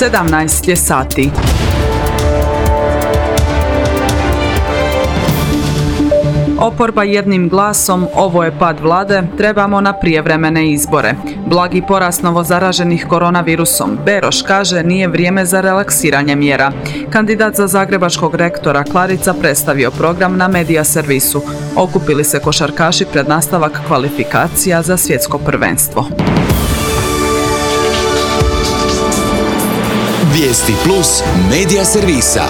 17 je sati. Oporba jednim glasom, ovo je pad vlade, trebamo na prijevremene izbore. Blagi porast novozaraženih koronavirusom. Beroš kaže nije vrijeme za relaksiranje mjera. Kandidat za zagrebačkog rektora Klarica predstavio program na Medija servisu. Okupili se košarkaši pred nastavak kvalifikacija za svjetsko prvenstvo. Vijesti plus Medija servisa.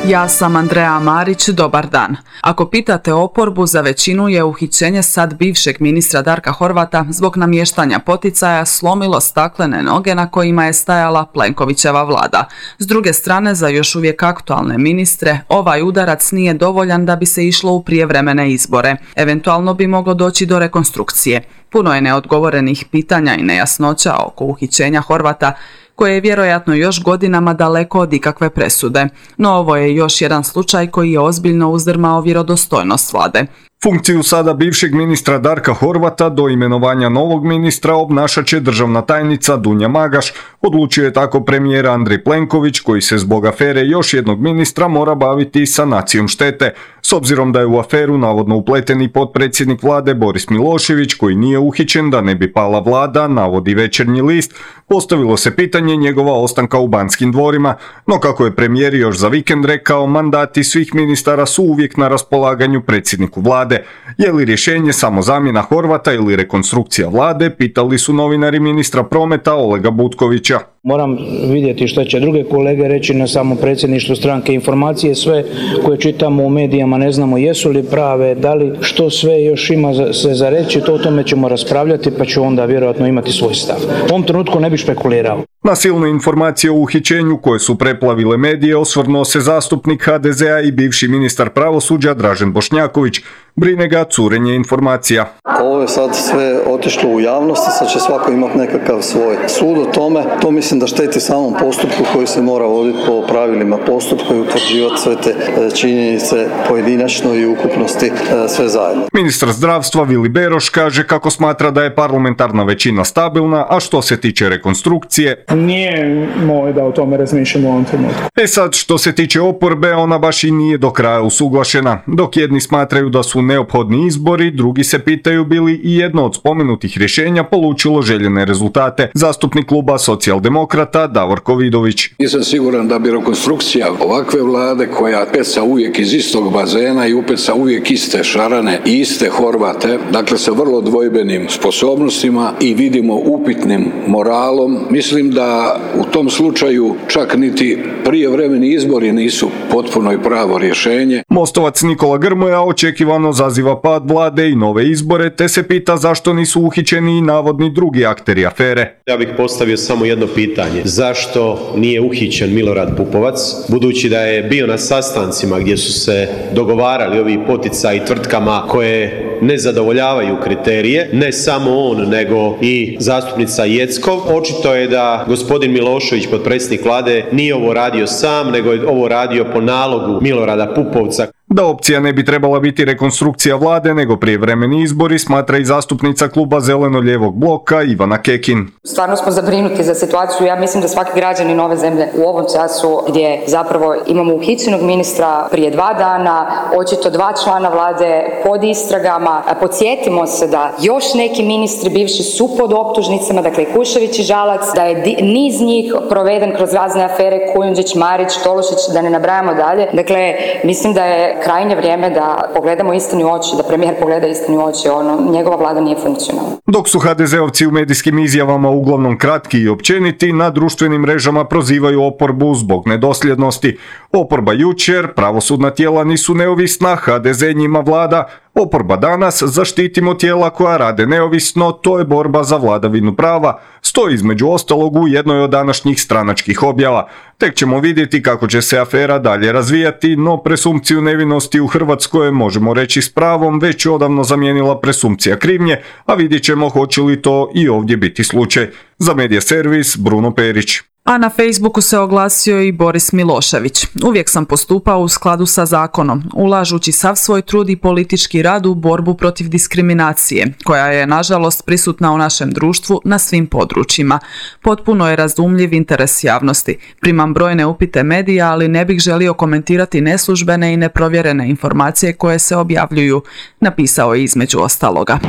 Ja sam Andreja Marić, dobar dan. Ako pitate oporbu, za većinu je uhićenje sad bivšeg ministra Darka Horvata zbog namještanja poticaja slomilo staklene noge na kojima je stajala Plenkovićeva vlada. S druge strane, za još uvijek aktualne ministre, ovaj udarac nije dovoljan da bi se išlo u prijevremene izbore. Eventualno bi moglo doći do rekonstrukcije. Puno je neodgovorenih pitanja i nejasnoća oko uhićenja Horvata, koje je vjerojatno još godinama daleko od ikakve presude. No ovo je još jedan slučaj koji je ozbiljno uzdrmao vjerodostojnost vlade. Funkciju sada bivšeg ministra Darka Horvata do imenovanja novog ministra obnašat će državna tajnica Dunja Magaš, odlučio je tako premijer Andrej Plenković, koji se zbog afere još jednog ministra mora baviti sanacijom štete. S obzirom da je u aferu navodno upleten i potpredsjednik vlade Boris Milošević, koji nije uhićen da ne bi pala vlada, navodi Večernji list, postavilo se pitanje njegova ostanka u Banskim dvorima, no kako je premijer još za vikend rekao, mandati svih ministara su uvijek na raspolaganju predsjedniku vlade. Je li rješenje samo zamjena Horvata ili rekonstrukcija vlade, pitali su novinari ministra prometa Olega Butkovića. Moram vidjeti što će druge kolege reći na samom predsjedništvu stranke. Informacije sve koje čitamo u medijama ne znamo jesu li prave, da li što sve još ima se za reći, to o tome ćemo raspravljati pa ću onda vjerojatno imati svoj stav. U ovom trenutku ne bih špekulirao. Na silne informacije o uhićenju koje su preplavile medije osvrnuo se zastupnik HDZ-a i bivši ministar pravosuđa Dražen Bošnjaković. Brine ga curenje informacija. Ovo je sad sve otišlo u javnost i sad će svako imati nekakav svoj sud o tome. To mislim da šteti samom postupku koji se mora voditi po pravilima postupka i utvrđivati sve te činjenice pojedinačno i ukupnosti sve zajedno. Ministar zdravstva Vili Beroš kaže kako smatra da je parlamentarna većina stabilna, a što se tiče rekonstrukcije, nije moj da o tome razmišljamo u ovom trenutku. Sad što se tiče oporbe, ona baš i nije do kraja usuglašena. Dok jedni smatraju da su neophodni izbori, drugi se pitaju bi li i jedno od spomenutih rješenja polučilo željene rezultate. Zastupnik kluba Socijaldemokrata Davorko Vidović. Nisam siguran da bi rekonstrukcija ovakve vlade koja peca uvijek iz istog bazena i upeca uvijek iste šarane i iste Horvate, dakle sa vrlo dvojbenim sposobnostima i vidimo upitnim moralom, mislim da u tom slučaju čak niti prijevremeni izbori nisu potpuno i pravo rješenje. Mostovac Nikola Grmoja očekivano zaziva pad vlade i nove izbore, te se pita zašto nisu uhićeni i navodni drugi akteri afere. Ja bih postavio samo jedno pitanje. Zašto nije uhićen Milorad Pupovac, budući da je bio na sastancima gdje su se dogovarali ovi poticaji tvrtkama koje ne zadovoljavaju kriterije, ne samo on, nego i zastupnica Jeckov. Očito je da gospodin Milošević, potpredsjednik vlade, nije ovo radio sam, nego je ovo radio po nalogu Milorada Pupovca. Da opcija ne bi trebala biti rekonstrukcija vlade, nego prijevremeni izbori, smatra i zastupnica kluba Zeleno-lijevog bloka Ivana Kekin. Stvarno smo zabrinuti za situaciju. Ja mislim da svaki građanin ove zemlje u ovom času gdje zapravo imamo uhićenog ministra prije 2 dana, očito 2 člana vlade pod istragama. Podsjetimo se da još neki ministri bivši su pod optužnicama, dakle Kušević i Žalac, da je niz njih proveden kroz razne afere, Kujundžić, Marić, Tolušić, da ne nabrajamo dalje. Dakle, mislim da je krajnje vrijeme da pogledamo istini u oči, da premijer pogleda istini u oči, njegova vlada nije funkcionalna. Dok su HDZ-ovci u medijskim izjavama uglavnom kratki i općeniti, na društvenim mrežama prozivaju oporbu zbog nedosljednosti. Oporba jučer, pravosudna tijela nisu neovisna, HDZ njima vlada. Oporba danas, zaštitimo tijela koja rade neovisno, to je borba za vladavinu prava, stoji između ostalog u jednoj od današnjih stranačkih objava. Tek ćemo vidjeti kako će se afera dalje razvijati, no presumpciju nevinosti u Hrvatskoj, možemo reći s pravom, već odavno zamijenila presumpcija krivnje, a vidjet ćemo hoće li to i ovdje biti slučaj. Za Medija servis, Bruno Perić. A na Facebooku se oglasio i Boris Milošević. Uvijek sam postupao u skladu sa zakonom, ulažući sav svoj trud i politički rad u borbu protiv diskriminacije, koja je nažalost prisutna u našem društvu na svim područjima. Potpuno je razumljiv interes javnosti. Primam brojne upite medija, ali ne bih želio komentirati neslužbene i neprovjerene informacije koje se objavljuju, napisao je između ostaloga.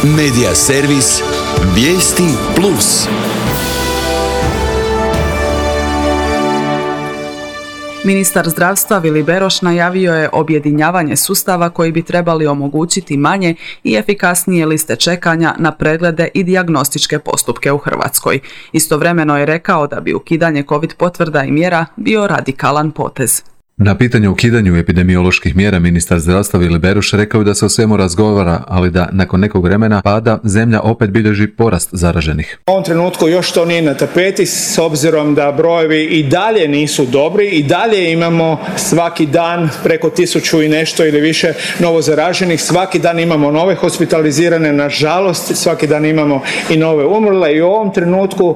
Medija servis Vijesti Plus. Ministar zdravstva Vili Beroš najavio je objedinjavanje sustava koji bi trebali omogućiti manje i efikasnije liste čekanja na preglede i dijagnostičke postupke u Hrvatskoj. Istovremeno je rekao da bi ukidanje COVID potvrda i mjera bio radikalan potez. Na pitanje o ukidanju epidemioloških mjera ministar zdravstva Vili Beroš rekao je da se o svemu razgovara, ali da nakon nekog vremena pada zemlja opet bilježi porast zaraženih. U ovom trenutku još to nije na tapeti s obzirom da brojevi i dalje nisu dobri i dalje imamo svaki dan preko 1000 i nešto ili više novo zaraženih, svaki dan imamo nove hospitalizirane, nažalost svaki dan imamo i nove umrle i u ovom trenutku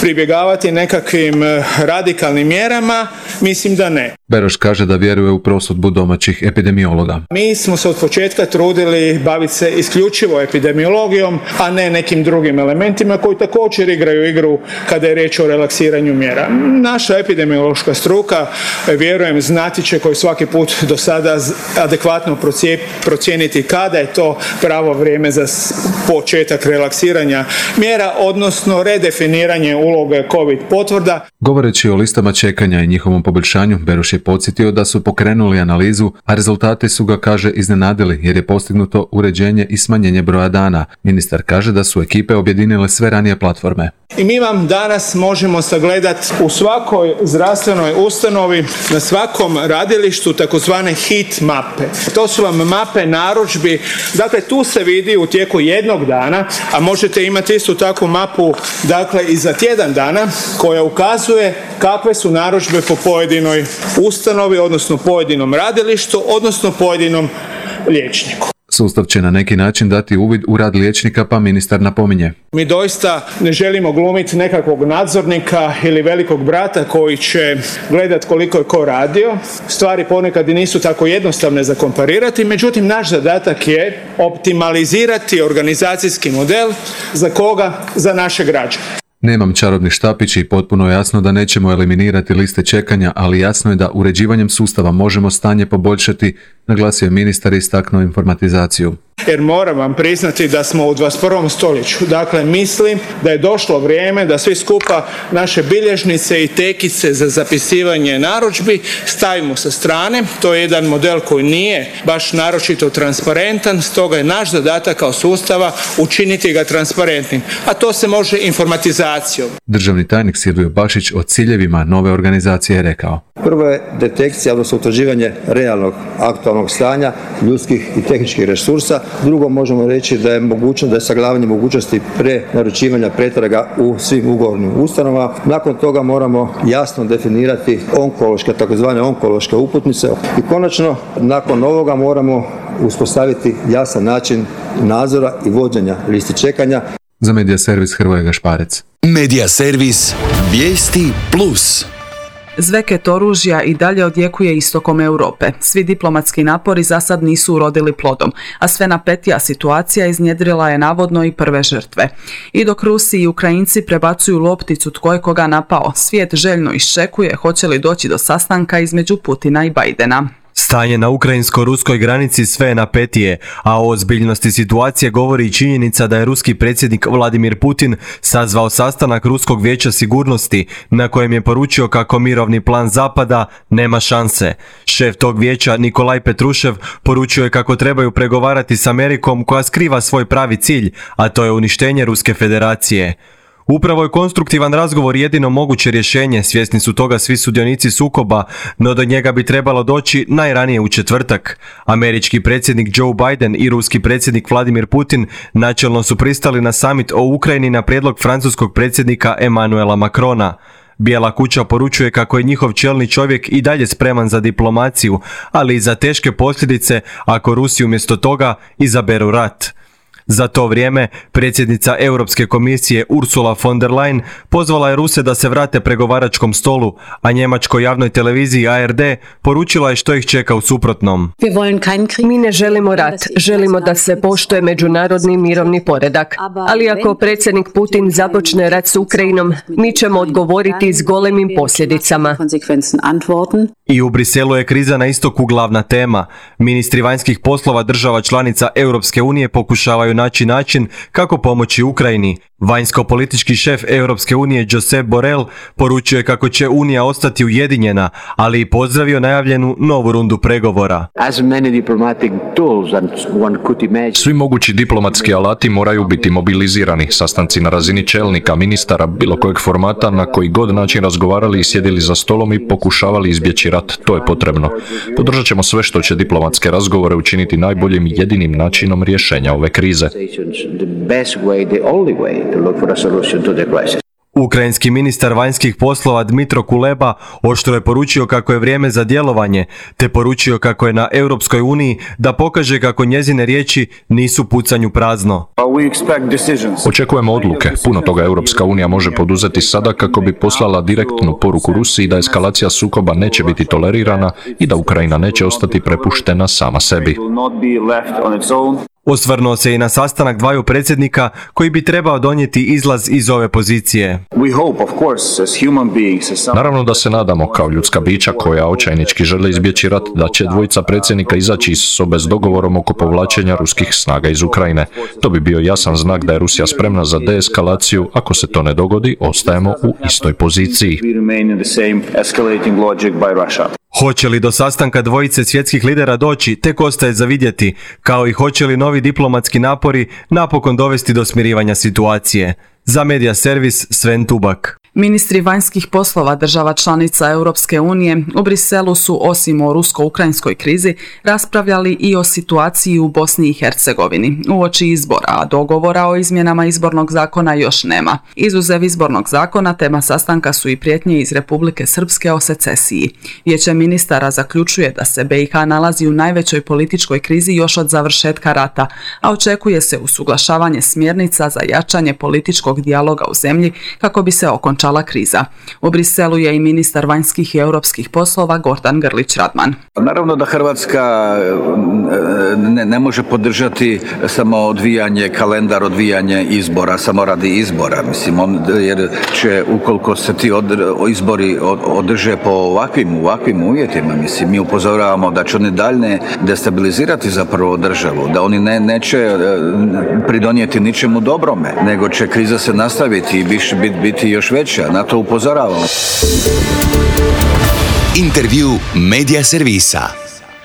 pribjegavati nekakvim radikalnim mjerama, mislim da ne. Beroš kaže da vjeruje u prosudbu domaćih epidemiologa. Mi smo se od početka trudili baviti se isključivo epidemiologijom, a ne nekim drugim elementima koji također igraju igru kada je riječ o relaksiranju mjera. Naša epidemiološka struka, vjerujem, znati će koji svaki put do sada adekvatno procijeniti kada je to pravo vrijeme za početak relaksiranja mjera, odnosno redefiniranje uloge COVID potvrda. Govoreći o listama čekanja i njihovom poboljšanju, Beroš je podsjetio da su pokrenuli analizu, a rezultati su ga, kaže, iznenadili jer je postignuto uređenje i smanjenje broja dana. Ministar kaže da su ekipe objedinile sve ranije platforme. I mi vam danas možemo sagledati u svakoj zdravstvenoj ustanovi, na svakom radilištu takozvane hit mape. To su vam mape narudžbi, dakle tu se vidi u tijeku jednog dana, a možete imati istu takvu mapu dakle i za tjedan dana koja ukazuje kakve su narudžbe po pojedinoj ustanovi, odnosno pojedinom radilištu, odnosno pojedinom liječniku. Sustav će na neki način dati uvid u rad liječnika, pa ministar napominje. Mi doista ne želimo glumiti nekakvog nadzornika ili velikog brata koji će gledati koliko je ko radio. Stvari ponekad i nisu tako jednostavne za komparirati, međutim naš zadatak je optimalizirati organizacijski model za koga? Za naše građane. Nemam čarobni štapić i potpuno je jasno da nećemo eliminirati liste čekanja, ali jasno je da uređivanjem sustava možemo stanje poboljšati, naglasio je ministar i istaknuo informatizaciju. Jer moram vam priznati da smo u 21. stoljeću. Dakle, mislim da je došlo vrijeme da svi skupa naše bilježnice i tekice za zapisivanje narudžbi stavimo sa strane. To je jedan model koji nije baš naročito transparentan, stoga je naš zadatak kao sustava učiniti ga transparentnim. A to se može informatizacijom. Državni tajnik Silvio Bašić o ciljevima nove organizacije je rekao. Prvo je detekcija, odnosno utvrđivanje realnog aktualnog stanja ljudskih i tehničkih resursa. Drugo, možemo reći da je mogućnost, da je sagledavanje mogućnosti prenaručivanja pretraga u svim ugovornim ustanovama. Nakon toga moramo jasno definirati onkološke, takozvane onkološke uputnice. I konačno, nakon ovoga moramo uspostaviti jasan način nadzora i vođenja listi čekanja. Za Medija servis Hrvoje Gašparec. Medija servis Vijesti Plus. Zveket oružja i dalje odjekuje istokom Europe. Svi diplomatski napori za sad nisu urodili plodom, a sve napetija situacija iznjedrila je navodno i prve žrtve. I dok Rusi i Ukrajinci prebacuju lopticu tko je koga napao, svijet željno iščekuje hoće li doći do sastanka između Putina i Bidena. Stanje na ukrajinsko-ruskoj granici sve je napetije, a o ozbiljnosti situacije govori i činjenica da je ruski predsjednik Vladimir Putin sazvao sastanak Ruskog vijeća sigurnosti na kojem je poručio kako mirovni plan Zapada nema šanse. Šef tog vijeća Nikolaj Petrušev poručio je kako trebaju pregovarati s Amerikom koja skriva svoj pravi cilj, a to je uništenje Ruske federacije. Upravo je konstruktivan razgovor jedino moguće rješenje, svjesni su toga svi sudionici sukoba, no do njega bi trebalo doći najranije u četvrtak. Američki predsjednik Joe Biden i ruski predsjednik Vladimir Putin načelno su pristali na summit o Ukrajini na prijedlog francuskog predsjednika Emmanuela Macrona. Bijela kuća poručuje kako je njihov čelni čovjek i dalje spreman za diplomaciju, ali i za teške posljedice ako Rusi umjesto toga izaberu rat. Za to vrijeme, predsjednica Europske komisije Ursula von der Leyen pozvala je Ruse da se vrate pregovaračkom stolu, a njemačkoj javnoj televiziji ARD poručila je što ih čeka u suprotnom. Mi ne želimo rat, želimo da se poštuje međunarodni mirovni poredak. Ali ako predsjednik Putin započne rat s Ukrajinom, mi ćemo odgovoriti s golemim posljedicama. I u Briselu je kriza na istoku glavna tema. Ministri vanjskih poslova država članica Europske unije pokušavaju naći način kako pomoći Ukrajini. Vanjsko-politički šef Europske unije Josep Borrell poručio je kako će Unija ostati ujedinjena, ali i pozdravio najavljenu novu rundu pregovora. Svi mogući diplomatski alati moraju biti mobilizirani. Sastanci na razini čelnika, ministara, bilo kojeg formata, na koji god način razgovarali i sjedili za stolom i pokušavali izbjeći rat. To je potrebno. Podržat ćemo sve što će diplomatske razgovore učiniti najboljim i jedinim načinom rješenja ove krize. Ukrajinski ministar vanjskih poslova Dmitro Kuleba oštro je poručio kako je vrijeme za djelovanje, te poručio kako je na Europskoj uniji da pokaže kako njezine riječi nisu pucanju prazno. Očekujemo odluke. Puno toga Europska unija može poduzeti sada kako bi poslala direktnu poruku Rusiji da eskalacija sukoba neće biti tolerirana i da Ukrajina neće ostati prepuštena sama sebi. Osvrnuo se i na sastanak dvaju predsjednika koji bi trebao donijeti izlaz iz ove pozicije. Naravno da se nadamo kao ljudska bića koja očajnički žele izbjeći rat da će dvojica predsjednika izaći iz sobe s dogovorom oko povlačenja ruskih snaga iz Ukrajine. To bi bio jasan znak da je Rusija spremna za deeskalaciju. Ako se to ne dogodi, ostajemo u istoj poziciji. Hoće li do sastanka dvojice svjetskih lidera doći, tek ostaje za vidjeti, kao i hoće li novi diplomatski napori napokon dovesti do smirivanja situacije. Za Media Servis, Sven Tubak. Ministri vanjskih poslova država članica Europske unije u Briselu su osim o rusko-ukrajinskoj krizi raspravljali i o situaciji u Bosni i Hercegovini uoči izbora, a dogovora o izmjenama izbornog zakona još nema. Izuzev izbornog zakona, tema sastanka su i prijetnje iz Republike Srpske o secesiji. Vijeće ministara zaključuje da se BiH nalazi u najvećoj političkoj krizi još od završetka rata, a očekuje se usuglašavanje smjernica za jačanje političkog dijaloga u zemlji kako bi se okončala kriza. U Briselu je i ministar vanjskih i europskih poslova Gordan Grlić Radman. Naravno da Hrvatska ne može podržati samo odvijanje, kalendar odvijanje izbora, samo radi izbora. Jer će, ukoliko se ti izbori održe po ovakvim uvjetima, mi upozoravamo da će oni dalje destabilizirati zapravo državu, da oni neće pridonijeti ničemu dobrome, nego će kriza se nastaviti i biti još veća. Na to upozoravamo. Intervju Media Servisa.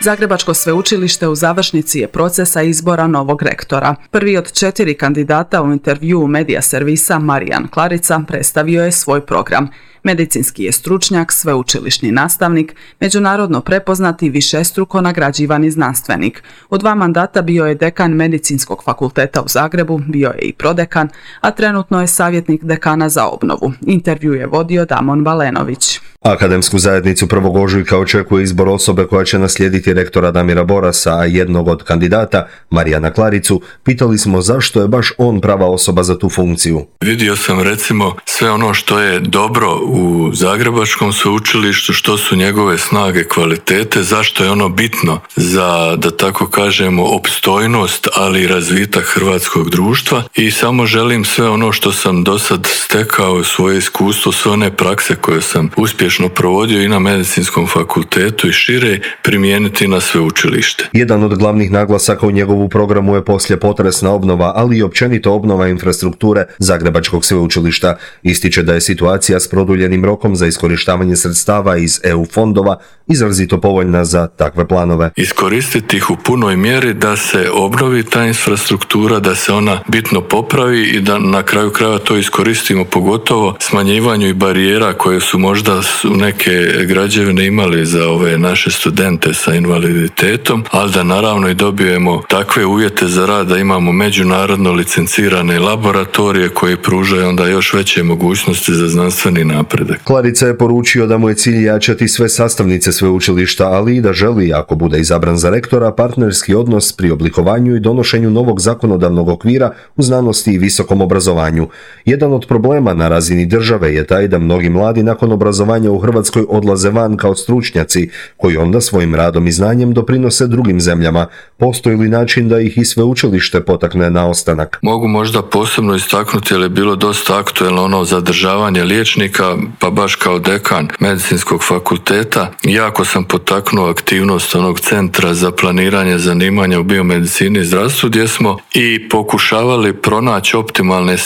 Zagrebačko sveučilište u završnici je procesa izbora novog rektora. Prvi od 4 kandidata u intervjuu Media Servisa, Marijan Klarica, predstavio je svoj program. Medicinski je stručnjak, sveučilišni nastavnik, međunarodno prepoznati višestruko nagrađivani znanstvenik. U 2 mandata bio je dekan Medicinskog fakulteta u Zagrebu, bio je i prodekan, a trenutno je savjetnik dekana za obnovu. Intervju je vodio Damon Balenović. Akademsku zajednicu 1. ožujka očekuje izbor osobe koja će naslijediti rektora Damira Borasa, a jednog od kandidata, Marijana Klaricu, pitali smo zašto je baš on prava osoba za tu funkciju. Vidio sam recimo sve ono što je dobro u Zagrebačkom sveučilištu, što su njegove snage, kvalitete, zašto je ono bitno za, da tako kažemo, opstojnost, ali i razvitak hrvatskog društva, i samo želim sve ono što sam do sad stekao, svoje iskustvo, sve one prakse koje sam uspješno provodio i na Medicinskom fakultetu i šire, primijeniti na sveučilište. Jedan od glavnih naglasaka u njegovu programu je poslijepotresna obnova, ali i općenito obnova infrastrukture Zagrebačkog sveučilišta. Ističe da je situacija s produljenim rokom za iskorištavanje sredstava iz EU fondova izrazito povoljna za takve planove. Iskoristiti ih u punoj mjeri da se obnovi ta infrastruktura, da se ona bitno popravi i da na kraju krajeva to iskoristimo, pogotovo smanjivanju i barijera koje su možda neke građevine imali za ove naše studente sa invaliditetom, ali da naravno i dobijemo takve uvjete za rad da imamo međunarodno licencirane laboratorije koji pružaju onda još veće mogućnosti za znanstveni napredak. napredak. Klarica je poručio da mu je cilj jačati sve sastavnice sveučilišta, ali i da želi, ako bude izabran za rektora, partnerski odnos pri oblikovanju i donošenju novog zakonodavnog okvira u znanosti i visokom obrazovanju. Jedan od problema na razini države je taj da mnogi mladi nakon obrazovanja u Hrvatskoj odlaze van kao stručnjaci, koji onda svojim radom i znanjem doprinose drugim zemljama. Postoji li način da ih i sveučilište potakne na ostanak? Mogu možda posebno istaknuti, jer je bilo dosta aktuelno ono zadržavanje liječnika, pa baš kao dekan medicinskog fakulteta jako sam potaknuo aktivnost onog centra za planiranje zanimanja u biomedicini i zdravstvu, gdje smo i pokušavali pronaći optimalne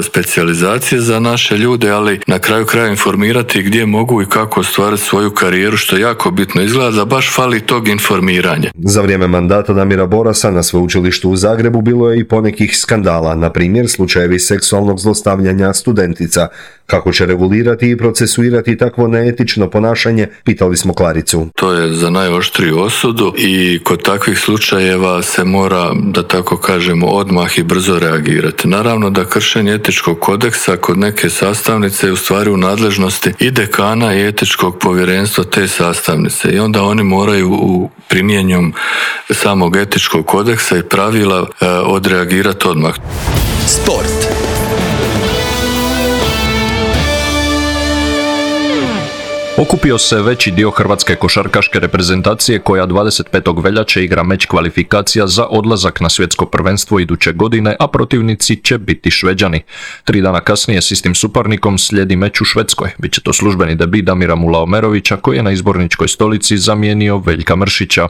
specijalizacije za naše ljude, ali na kraju kraja informirati gdje mogu i kako ostvariti svoju karijeru, što je jako bitno. Izgleda da baš fali tog informiranja. Za vrijeme mandata Damira Borasa na sveučilištu u Zagrebu bilo je i ponekih skandala, na primjer slučajevi seksualnog zlostavljanja studentica. Kako će regulirati i procesuirati takvo neetično ponašanje, pitali smo Klaricu. To je za najoštriju osudu i kod takvih slučajeva se mora, da tako kažemo, odmah i brzo reagirati. Naravno da kršenje etičkog kodeksa kod neke sastavnice je u stvari u nadležnosti i dekana i etičkog povjerenstva te sastavnice i onda oni moraju u primjenjom samog etičkog kodeksa i pravila odreagirati odmah. Sport. Okupio se veći dio hrvatske košarkaške reprezentacije koja 25. veljače igra meč kvalifikacija za odlazak na svjetsko prvenstvo iduće godine, a protivnici će biti Šveđani. 3 dana kasnije s istim suparnikom slijedi meč u Švedskoj. Biće to službeni debut Damira Mulaomerovića koji je na izborničkoj stolici zamijenio Veljka Mršića.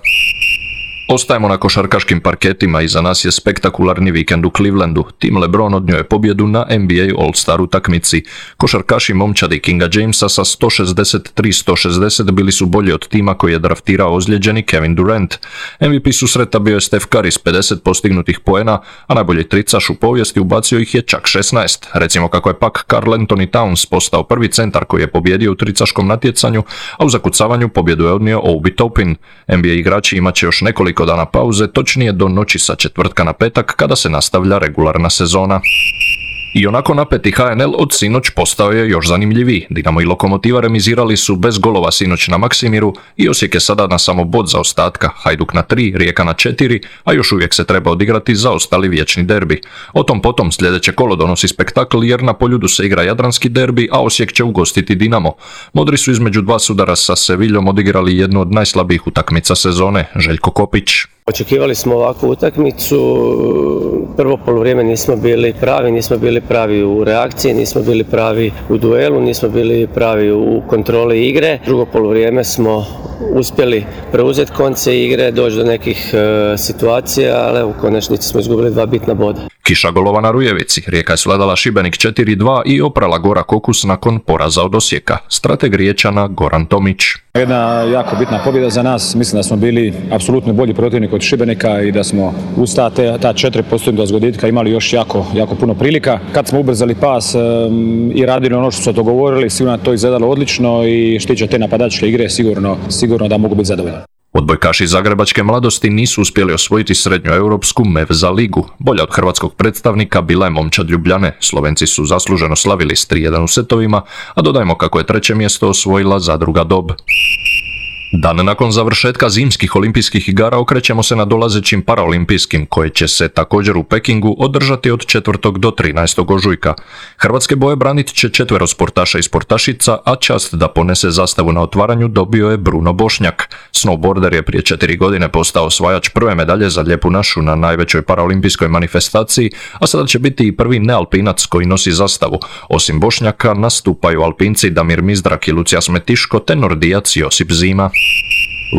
Ostajemo na košarkaškim parketima i za nas je spektakularni vikend u Clevelandu. Tim LeBron odnio je pobjedu na NBA All-Star utakmici. Košarkaši momčadi Kinga Jamesa sa 163-160 bili su bolji od tima koji je draftirao ozlijeđeni Kevin Durant. MVP susreta bio je Steph Curry s 50 postignutih poena, a najbolji tricaš u povijesti ubacio ih je čak 16. Recimo kako je pak Karl Anthony Towns postao prvi centar koji je pobjedio u tricaškom natjecanju, a u zakucavanju pobjedu je odnio Obi Toppin. NBA igrači imat će još nekoliko dana pauze, točnije do noći sa četvrtka na petak kada se nastavlja regularna sezona. I onako napeti HNL od sinoć postao je još zanimljiviji. Dinamo i Lokomotiva remizirali su bez golova sinoć na Maksimiru i Osijek je sada na samo bod zaostatka. Hajduk na 3, Rijeka na 4, a još uvijek se treba odigrati zaostali vječni derbi. O tom potom sljedeće kolo donosi spektakl jer na Poljudu se igra jadranski derbi, a Osijek će ugostiti Dinamo. Modri su između dva sudara sa Seviljom odigrali jednu od najslabijih utakmica sezone. Željko Kopić. Očekivali smo ovakvu utakmicu, prvo poluvrijeme nismo bili pravi u reakciji, nismo bili pravi u duelu, nismo bili pravi u kontroli igre. Drugo poluvrijeme smo uspjeli preuzeti konce igre, doći do nekih situacija, ali u konačnici smo izgubili 2 bitna boda. Kiša golova na Rujevici, Rijeka je svladala Šibenik 4-2 i oprala Gora Kokus nakon poraza od Osijeka. Strateg Riječana Goran Tomić. Jedna jako bitna pobjeda za nas, mislim da smo bili apsolutno bolji protivnik od Šibenika i da smo uz ta 4 posljednja zgoditka imali još jako puno prilika. Kad smo ubrzali pas i radili ono što smo dogovorili, sigurno to izgledalo odlično i što tiče te napadačke igre, sigurno da mogu biti zadovoljni. Odbojkaši zagrebačke mladosti nisu uspjeli osvojiti srednjoeuropsku Mevza ligu. Bolja od hrvatskog predstavnika bila je momčad Ljubljane. Slovenci su zasluženo slavili s 3-1 u setovima, a dodajmo kako je 3. mjesto osvojila Zadruga Dob. Dan nakon završetka zimskih olimpijskih igara okrećemo se na dolazećim paraolimpijskim, koje će se također u Pekingu održati od 4. do 13. ožujka. Hrvatske boje branit će 4 sportaša i sportašica, a čast da ponese zastavu na otvaranju dobio je Bruno Bošnjak. Snowboarder je prije 4 godine postao osvajač prve medalje za Lijepu našu na najvećoj paraolimpijskoj manifestaciji, a sada će biti i prvi nealpinac koji nosi zastavu. Osim Bošnjaka nastupaju alpinci Damir Mizdrak i Lucija Smetiško te nordijac Josip Zima.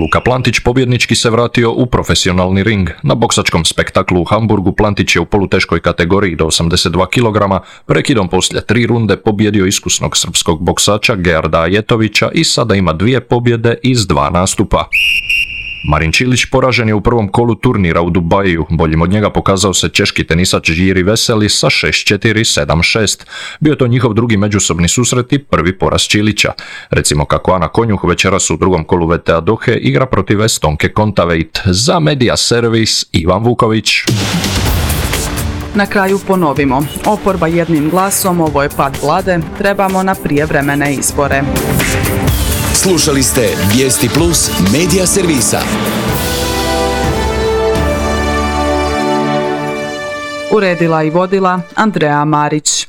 Luka Plantić pobjednički se vratio u profesionalni ring. Na boksačkom spektaklu u Hamburgu Plantić je u poluteškoj kategoriji do 82 kg prekidom poslije 3 runde pobjedio iskusnog srpskog boksača Gerda Ajetovića i sada ima 2 pobjede iz 2 nastupa. Marin Čilić poražen je u prvom kolu turnira u Dubaju. Boljim od njega pokazao se češki tenisač Jiri Veseli sa 6-4, 7-6. Bio je to njihov drugi međusobni susret i prvi poraz Čilića. Recimo kako Ana Konjuh večeras u drugom kolu VTA Dohe igra protiv Estonke Kontaveit. Za Media Servis Ivan Vuković. Na kraju ponovimo, oporba jednim glasom, ovo je pad vlade, trebamo na prijevremene izbore. Slušali ste Vijesti Plus Medija servisa. Uredila i vodila Andrea Marić.